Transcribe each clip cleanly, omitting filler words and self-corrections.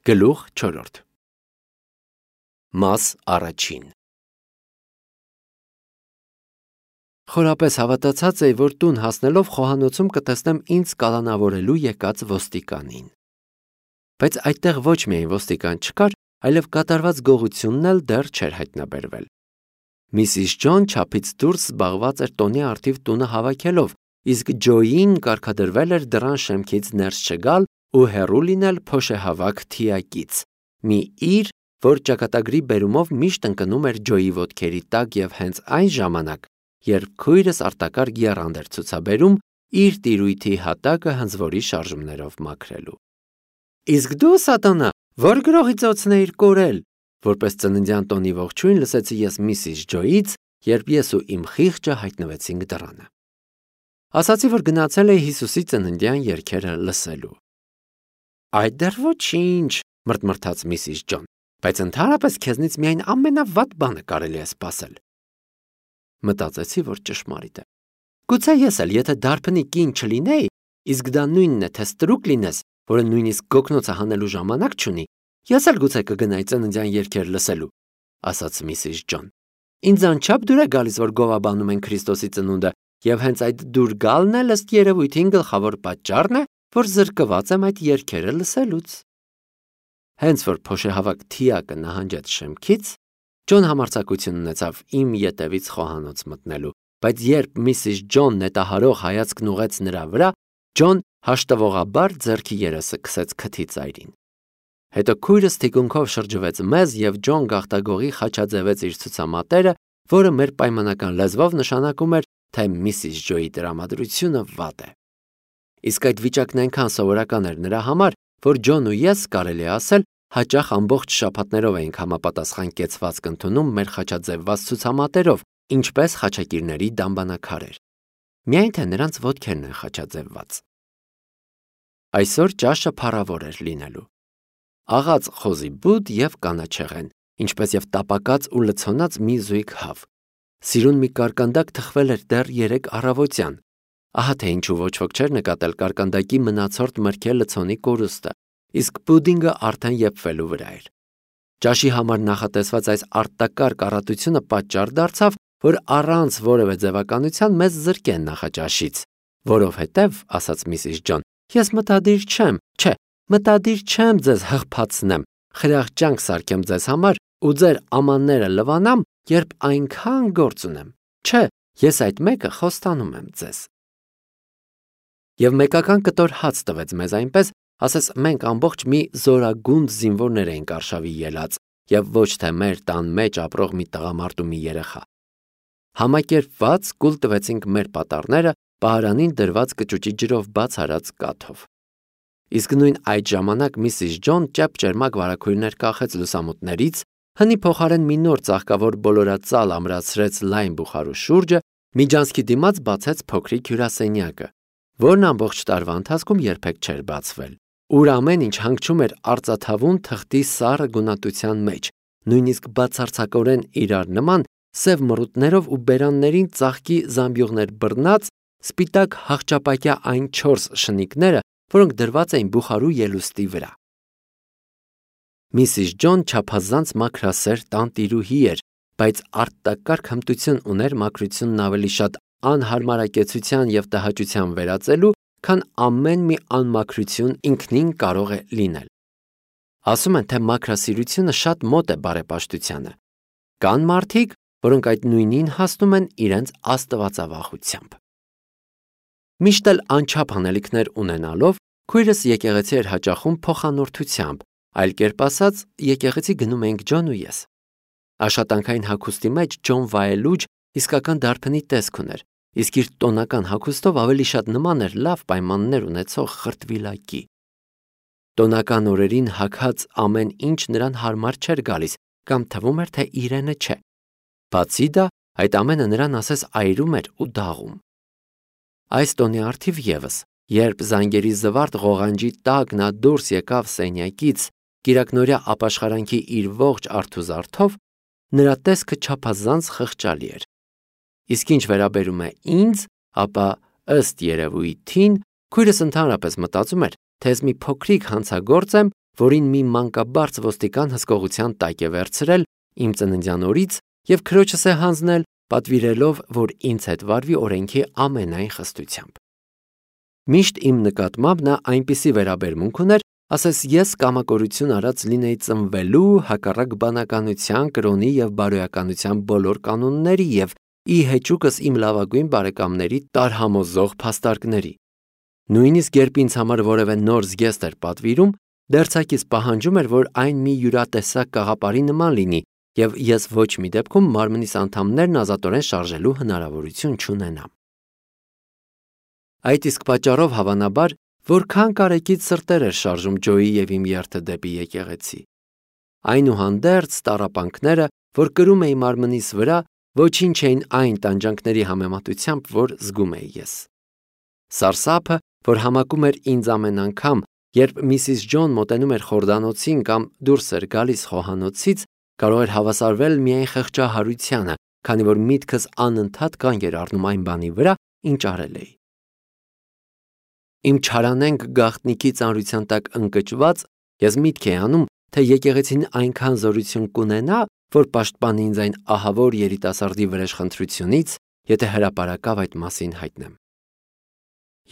Գլուխ 4 Մաս առաջին Խորապես հավատացած էի, որ տուն հասնելով խոհանոցում կտեսնեմ ինձ կալանավորելու եկած ոստիկանին։ Բայց այդտեղ ոչ միայն ոստիկան չկար, այլև կատարված գողությունն էլ դեռ չէր հայտնաբերվել։ Միսիս Ջոն չափից դուրս զբաղված էր տոնի առթիվ տունը հավաքելով, իսկ Ջոյին կարգադրվել էր դռան շեմքից ներս չգալ ու հեռու լինել փոշեհավաք թիակից, մի իր, որ ճակատագրի բերումով միշտ ընկնում էր Ջոյի ոտքերի տակ և հենց այն ժամանակ, երբ քույրս արտակարգ եռանդ էր ցուցաբերում իր տիրույթի հատակը հնձվորի շարժումներով մաքրելու։ Իսկ դու, սատանա, որ գրողի ծոցն էիր կորել, որպես ծննդյան տոնի ողջույն լսեցի ես Միսիս Ջոյից, երբ ես ու իմ խիղճը հայտնվեցինք դռանը։ Ասացի, որ գնացել էի Հիսուսի ծննդյան երգերը լսելու։ Այդ դեռ ոչինչ, մրթմրթաց Միսիս Ջոն, բայց ընդհանրապես քեզնից միայն ամենավատ բանը կարելի է սպասել։ Մտածեցի, որ ճշմարիտ է։ Գուցե ես էլ, եթե դարբնի կին չլինեի, իսկ դա նույնն է, թե ստրուկ լինես, որը նույնիսկ գոգնոցը հանելու ժամանակ չունի, ես էլ գուցե կգնայի ծննդյան երգեր լսելու, ասաց Միսիս Ջոն։ Ինձ անչափ դուր է գալիս, որ գովաբանում են Քրիստոսի ծնունդը, եւ հենց այդ դուր գալն էլ ըստ երևույթին գլխավոր պատճառն է, որ զրկված եմ այդ երգերը լսելուց։ Հենց որ փոշեհավաք թիակը նահանջեց շեմքից, Ջոն համարձակություն ունեցավ իմ ետևից խոհանոց մտնելու, բայց երբ Միսիս Ջոն նետահարող հայացքն ուղեց նրա վրա, Ջոն հաշտվողաբար ձեռքի երեսը քսեց քթի ծայրին։ Հետո քույրս թիկունքով շրջվեց մեզ և Ջոն գաղտագողի խաչաձևեց իր ցուցամատերը, որը մեր պայմանական լեզվով նշանակում էր, թե Միսիս Ջոյի տրամադրությունը վատ է։ Իսկ այդ վիճակն այնքան սովորական էր նրա համար, որ Ջոն ու ես, կարելի է ասել, հաճախ ամբողջ շաբաթներով էինք համապատասխան կեցվածք ընդունում մեր խաչաձևված ցուցամատերով, ինչպես խաչակիրների դամբանակարեր։ Միայն թե նրանց ոտքերն են խաչաձևված։ Այսօր ճաշը փառավոր էր լինելու։ Աղած խոզի բուդ և կանաչեղեն, ինչպես և տապակած ու լցոնած մի զույգ հավ։ Սիրուն մի կարկանդակ թխվել էր դեռ 3 առավոտյան։ Ահա թե ինչու ոչ ոք չէր նկատել կարկանդակի մնացորդ մրգե լցոնի կորուստը, իսկ պուդինգը արդեն եփվելու վրա էր։ Ճաշի համար նախատեսված այս արտակարգ առատությունը պատճառ դարձավ, որ առանց որևէ ձևականության մեզ զրկեն նախաճաշից, որովհետև, ասաց Միսիս Ջոն, ես մտադիր չեմ ձեզ հղփացնեմ, խրախճանք սարքեմ ձեզ համար ու ձեր ամանները լվանամ, երբ այնքան գործ ունեմ։ Չէ, ես այդ մեկը խոստանում եմ ձեզ։ Եվ մեկական կտոր հաց տվեց մեզ այնպես, ասես մենք ամբողջ մի զորագունդ զինվորներ էինք արշավի ելած, և ոչ թե մեր տան մեջ ապրող մի տղամարդ ու մի երեխա։ Համակերպված կուլ տվեցինք մեր պատառները պահարանին դրված կճուճի ջրով բաց արած կաթով։ Իսկ նույն այդ ժամանակ Միսիս Ջոն ճեպ-ճերմակ վարագույրներ կախեց լուսամուտներից, հնի փոխարեն մի նոր ծաղկավոր բոլորածալ ամրացրեց լայն բուխարու շուրջը, միջանցքի դիմաց բացեց փոքրիկ հյուրասենյակը, որն ամբողջ տարվա ընթացքում երբեք չէր բացվել, ուր ամեն ինչ հանգչում էր արծաթավուն թղթի սառը գունատության մեջ, նույնիսկ բացարձակորեն իրար նման, սև մռութներով ու բերաններին ծաղկի զամբյուղներ բռնած, սպիտակ հախճապակյա այն 4 շնիկները, որոնք դրված էին բուխարու ելուստի վրա։ Միսիս Ջոն չափազանց մաքրասեր տանտիրուհի էր, բայց արտակարգ հմտություն ուներ մաքրությունն ավելի շատ անհարմարակեցության և տհաճության վերածելու, քան ամեն մի անմաքրություն ինքնին կարող է լինել։ Ասում են, թե մաքրասիրությունը շատ մոտ է բարեպաշտությանը։ Կան մարդիկ, որոնք այդ նույնին հասնում են իրենց աստվածավախությամբ։ Միշտ էլ անչափ անելիքներ ունենալով, քույրս եկեղեցի էր հաճախում փոխանորդությամբ, այլ կերպ ասած, եկեղեցի գնում էինք Ջոն ու ես։ Աշխատանքային հագուստի մեջ Ջոն վայելուչ իսկական դարբնի տեսք ուներ, իսկ իր տոնական հագուստով ավելի շատ նման էր լավ պայմաններ ունեցող խրտվիլակի։ Տոնական օրերին հագած ամեն ինչ նրան հարմար չէր գալիս, կամ թվում էր, թե իրենը չէ։ Բացի դա, այդ ամենը նրան ասես այրում էր ու դաղում։ Այս տոնի առթիվ ևս, երբ զանգերի զվարթ ղողանջի տակ նա դուրս եկավ սենյակից, կիրակնօրյա ապաշխարանքի իր ողջ արթուզարթով, նրա տեսքը չափազանց խղճալի էր։ Իսկ ինչ վերաբերում է ինձ, ապա ըստ երևույթին, քույրս ընդհանրապես մտածում էր, թե ես մի փոքրիկ հանցագործ եմ որին մի մանկաբարձ ոստիկան հսկողության տակ է վերցրել իմ ծննդյան օրից և քրոջս է հանձնել, պատվիրելով, որ ինձ հետ վարվի օրենքի ամենայն խստությամբ։ Միշտ իմ նկատմամբ նա այնպիսի վերաբերմունք ուներ, ասես ես կամակորություն արած լինեի ծնվելու, հակառակ բանականության, կրոնի և բարոյականության բոլոր կանոնների և ի հեճուկս իմ լավագույն բարեկամների տարհամոզող փաստարկների։ Նույնիսկ երբ ինձ համար որևէ նոր զգեստ էր պատվիրում, դերձակից պահանջում էր, որ այն մի յուրատեսակ կաղապարի նման լինի, և ես ոչ մի դեպքում մարմնիս անդամներն ազատորեն շարժելու հնարավորություն չունենամ։ Այդ իսկ պատճառով, հավանաբար, որքան կարեկից սրտեր էր շարժում Ջոյի և իմ երթը դեպի եկեղեցի։ Այնուհանդերձ տառապանքները, որ կրում էի մարմնիս վրա, ոչինչ էին այն տանջանքների համեմատությամբ, որ զգում էի ես։ Սարսափը, որ համակում էր ինձ ամեն անգամ, երբ Միսիս Ջոն մոտենում էր խորդանոցին կամ դուրս էր գալիս խոհանոցից, կարող էր հավասարվել միայն խղճահարությանը, քանի որ միտքս անընդհատ կանգ էր առնում այն բանի վրա, ինչ արել էի։ Իմ չարանենգ գաղտնիքի ծանրության տակ ընկճված, ես միտք էի անում, թե եկեղեցին այնքան զորություն կունենա, որ պաշտպանի ինձ այն ահավոր երիտասարդի վրեժխնդրությունից, եթե հրապարակավ այդ մասին հայտնեմ։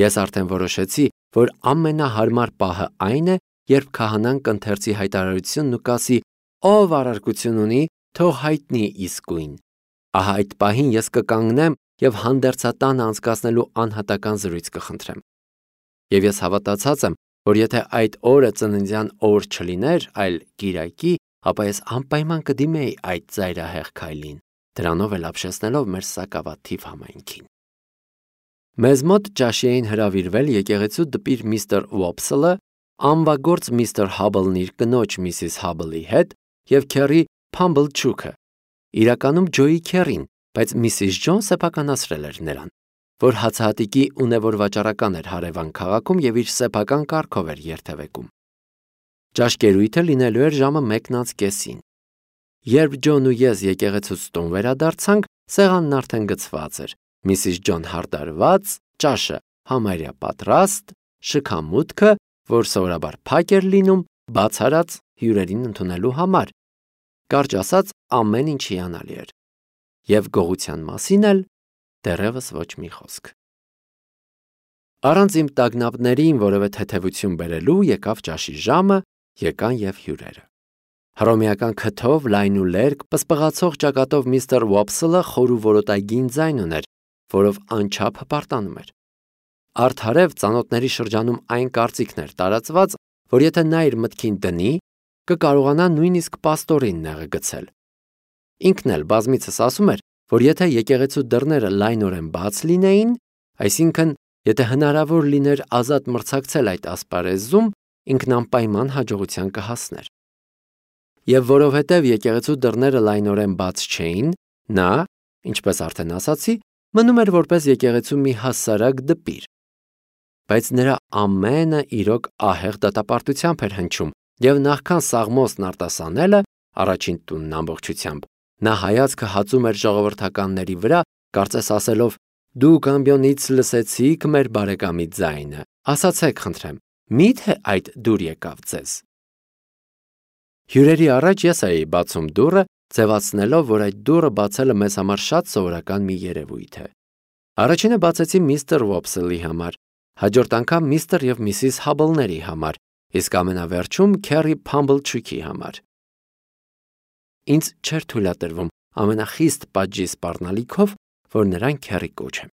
Ես արդեն որոշեցի, որ ամենահարմար պահը այն է, երբ քահանան կընթերցի հայտարարությունն ու կասի. «Ով առարկություն ունի, թող հայտնի իսկույն»։ Ահա այդ պահին ես կկանգնեմ և հանդերձատանը անցկացնելու անհատական զրույց կխնդրեմ։ Եվ ես հավատացած եմ, որ եթե այդ օրը ծննդյան օր չլիներ, այլ կիրակի, ապա ես անպայման կդիմեի այդ ծայրահեղ քայլին, դրանով էլ ապշեցնելով մեր սակավաթիվ համայնքին։ Մեզ մոտ ճաշի էին հրավիրվել եկեղեցու դպիր միստր Ուոփսելը, անվագործ միստր Հաբլն իր կնոջ Միսիս Հաբլի հետ և քեռի Փամբլչուքը, իրականում Ջոյի քեռին, բայց Միսիս Ջոն սեփականացրել էր նրան, որ հացահատիկի ունևոր վաճառական էր հարևան քաղաքում և իր սեփական կառքով էր երթևեկում։ Ճաշկերույթը լինելու էր ժամը 1:30-ին։ Երբ Ջոն ու ես եկեղեցուց տուն վերադարձանք, սեղանն արդեն գցված էր, Միսիս Ջոն հարդարված, ճաշը համարյա պատրաստ, շքամուտքը, որ սովորաբար փակ էր լինում, բաց արած հյուրերին ընդունելու համար։ Կարճ ասած, ամեն ինչ հիանալի էր։ Եվ գողության մասին էլ դեռևս ոչ մի խոսք։ Առանց իմ տագնապներին որևէ թեթևություն բերելու եկավ ճաշի ժամը, եկան և հյուրերը։ Հռոմեական քթով, լայն ու լերկ, պսպղացող ճակատով միստր Ուոփսելը խոր ու որոտագին ձայն ուներ, որով անչափ հպարտանում էր։ Արդարև ծանոթների շրջանում այն կարծիքն էր տարածված, որ եթե նա իր մտքին դնի, կկարողանա նույնիսկ պաստորին նեղը գցել։ Ինքն էլ բազմիցս ասում էր, որ եթե եկեղեցու դռները լայնորեն բաց լինեին, այսինքն, եթե հնարավոր լիներ ազատ մրցակցել այդ ասպարեզում, ինքն անպայման հաջողության կհասներ։ Եվ որովհետև եկեղեցու դռները լայնորեն բաց չէին, նա, ինչպես արդեն ասացի, մնում էր որպես եկեղեցու մի հասարակ դպիր։ Բայց նրա ամենը իրոք ահեղ դատապարտությամբ էր հնչում, և նախքան սաղմոսն արտասանելը, առաջին տունն ամբողջությամբ, նա հայացքը հածում էր ժողովրդականների վրա, կարծես ասելով. «Դուք ամբյոնից լսեցիք մեր բարեկամի ձայնը, ասացեք խնդրեմ, մի՞թե այդ դուր եկավ ձեզ»։ Հյուրերի առաջ ես էի բացում դուռը, ձևացնելով, որ այդ դուռը բացելը մեզ համար շատ սովորական մի երևույթ է։ Առաջինը բացեցի միստր Ուոփսելի համար, հաջորդ անգամ միստր և Միսիս Հաբլների համար, իսկ ամենավերջում քեռի Փամբլչուքի համար։ Ինձ չէր թույլատրվում ամենախիստ պատժի սպառնալիքով, որ նրան քեռի կոչեմ։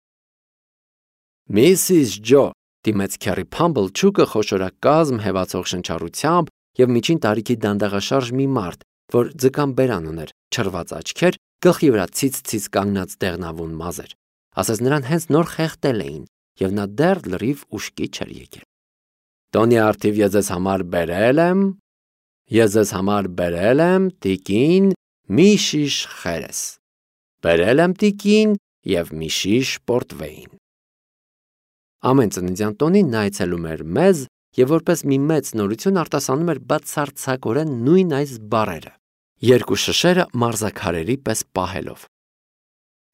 «Միսիս Ջո», դիմեց քեռի Փամբլչուքը խոշորակազմ հեվացող շնչառությամբ և միջին տարիքի դանդաղաշարժ մի մարդ, որ ձկան բերան ուներ, չռված աչքեր, գլխի վրա ցից-ցից կանգնած դեղնավուն մազեր, ասես նրան հենց նոր խեղդել էին, և նա դեռ լրիվ ուշքի չէր եկել։ «Տոնի առթիվ ես ձեզ համար բերել եմ, տիկին, մի շիշ խերես։ Բերել եմ տիկին և մի շիշ պորտվեին»։ Ամեն ծննդյան տոնին նա այցելում էր մեզ և որպես մի մեծ նորություն արտասանում էր բացարձակորեն նույն այս բառերը, երկու շշերը մարզաքարերի պես պահելով։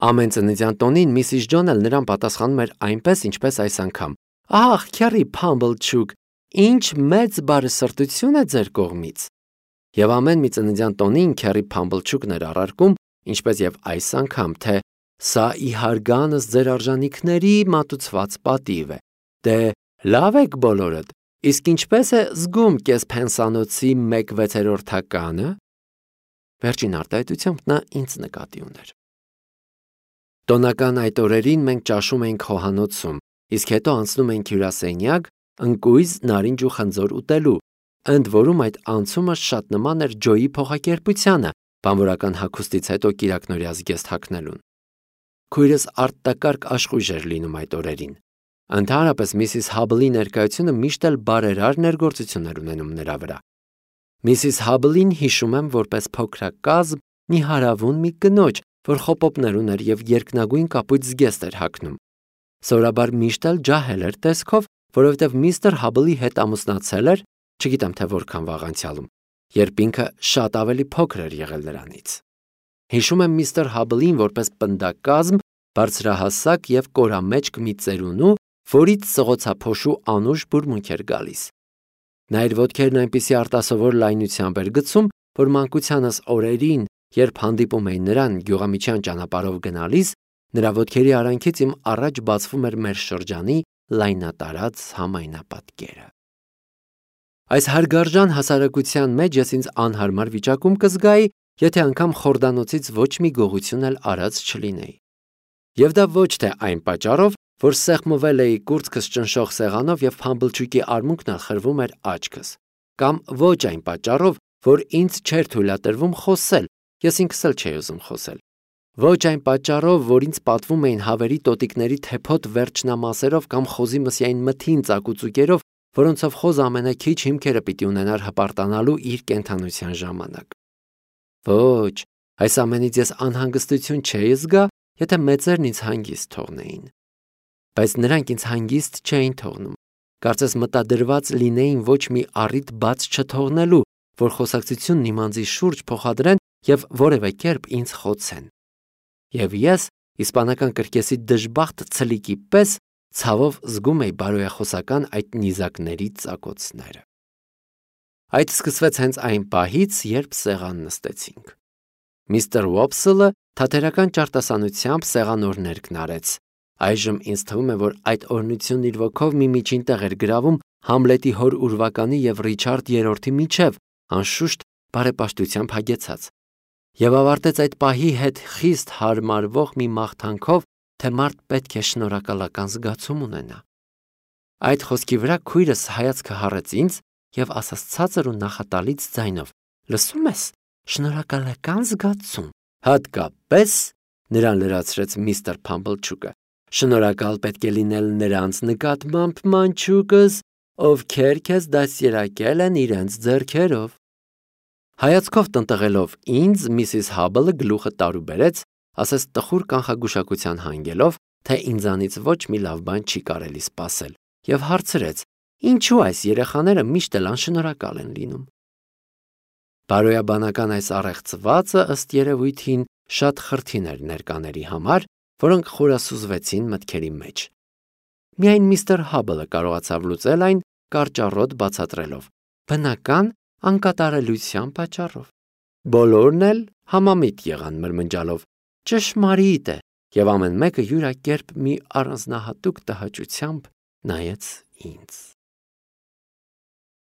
Ամեն ծննդյան տոնին Միսիս Ջոն էլ նրան պատասխանում էր այնպես, ինչպես այս անգամ. «Ահ, քեռի Փամբլչուք, ինչ մեծ բարեսրտություն է ձեր կողմից։ Եվ ամեն մի ծննդյան տոնին Քերի Փամբլչուկն էր առարկում, ինչպես եւ այս անգամ, թե սա ի հարգանս ձեր արժանիքների մատուցված պատիվ է։ Դե լավ եք բոլորդ, իսկ ինչպես է զգում կես փենսանոցի 1/6-ականը։ Վերջին արտահայտությամբ նա ինձ նկատի ուներ։ Տոնական այդ օրերին մենք ճաշում էինք խոհանոցում, իսկ հետո անցնում էինք հյուրասենյակ, ընկույզ, նարինջ ու խնձոր ուտելու, ընդ որում այդ անցումը շատ նման էր Ջոյի փոխակերպությանը, բանվորական հագուստից հետո կիրակնորյա զգեստ հագնելուն։ Քույրս արտակարգ աշխույժ էր լինում այդ օրերին։ Ընդհանրապես Միսիս Հաբլի ներկայությունը միշտ էլ բարերար ներգործություններ ունենում նրա վրա։ Միսիս Հաբլին հիշում եմ որպես փոքրակազմ մի հարավուն մի կնոջ, որ խոպոպներ ուներ եւ երկնագույն կապույտ զգեստ էր հագնում։ Սովորաբար միշտ էլ ջահել էր տեսքով, որովհետև միստր Հաբլի հետ ամուսնացել էր, չգիտեմ թե որքան վաղ անցյալում, երբ ինքը շատ ավելի փոքր էր եղել նրանից։ Հիշում եմ միստր Հաբլին որպես պնդակազմ, բարձրահասակ եւ կորամեջք մի ծերունու, որից սղոցափոշու անուշ բուրմունք էր գալիս։ Նա իր ոտքերն այնպիսի արտասովոր լայնությամբ էր գցում, որ մանկությանս օրերին, երբ հանդիպում էին նրան գյուղամիջյան ճանապարհով գնալիս, նրա ոտքերի արանքից իմ առաջ բացվում էր մեր շրջանի լայնատարած համայնապատկերը։ Այս հարգարժան հասարակության մեջ ես ինձ անհարմար վիճակում կզգայի, եթե անգամ խորդանոցից ոչ մի գողություն էլ արած չլինեի։ Եվ դա ոչ թե այն պատճառով, որ սեղմվել էի կուրծքս ճնշող սեղանով եւ Փամբլչուկի արմունկն էլ խրվում էր աչքս, կամ ոչ այն պատճառով, որ ինձ չէր թույլատրվում խոսել, ես ինքս էլ չէի ուզում խոսել։ Ոչ այն պատճառով, որ ինձ պատվում էին հավերի տոտիկների թեփոտ վերջնամասերով կամ խոզի մսյային մթին ծակուծուկերով, որոնցով խոզը ամենաքիչ հիմքերը պիտի ունենար հպարտանալու իր կենդանության ժամանակ։ Ոչ, այս ամենից ես անհանգստություն չէի զգա, եթե մեծերն ինձ հանգիստ թողնեին։ Բայց նրանք ինձ հանգիստ չէին թողնում։ Կարծես մտադրված լինեին ոչ մի առիթ բաց չթողնելու, որ խոսակցությունն իմ անձի շուրջ փոխադրեն եւ որևէ կերպ ինձ խոցեն։ Եվ ես, իսպանական կրկեսի դժբախտ ցլիկի պես, ցավով զգում էի բարոյախոսական այդ նիզակների ծակոցները։ Այդ սկսվեց հենց այն պահից, երբ սեղան նստեցինք։ Միստր Ուոփսելը թատերական ճարտասանությամբ սեղանօրներկն արեց։ Այժմ ինձ թվում է, որ այդ օրհնությունն իր ոգով մի միջին տեղ էր գրավում Համլետի հոր ուրվականի եւ Ռիչարդ III-ի միջև, անշուշտ բարեպաշտությամբ հագեցած։ Եվ ավարտեց այդ պահի հետ խիստ հարմարվող մի մաղթանքով, թե մարդ պետք է շնորհակալական զգացում ունենա։ Այդ խոսքի վրա քույրս հայացքը հառեց ինձ եւ ասաց ցածր ու նախատալից ձայնով. «Լսում ես, շնորհակալական զգացում»։ Հատկապես, նրան լրացրեց միստր Փամբլչուկը, շնորհակալ պետք է լինել նրանց նկատմամբ, մանչուկս, ովքեր քեզ դաստիարակել են իրենց ձեռքերով։ Հայացքով տնտղելով ինձ Միսիս Հաբլը գլուխը տարուբերեց, ասես տխուր կանխագուշակության հանգելով, թե ինձանից ոչ մի լավ բան չի կարելի սպասել, եւ հարցրեց. ինչու այս երեխաները միշտ էլ անշնորհակալ են լինում։ Բարոյաբանական այս առեղծվածը ըստ երևույթին շատ խրթին էր ներկաների համար, որոնք խորասուզվեցին մտքերի մեջ։ Միայն միստր Հաբլը կարողացավ լուծել այն կարճառոտ բացատրելով. բնական անկատարելության պատճառով։ Բոլորն էլ համամիտ եղան մրմնջալով. ճշմարիտ է, եւ ամեն մեկը յուրակերպ մի առանձնահատուկ տհաճությամբ նայեց ինձ։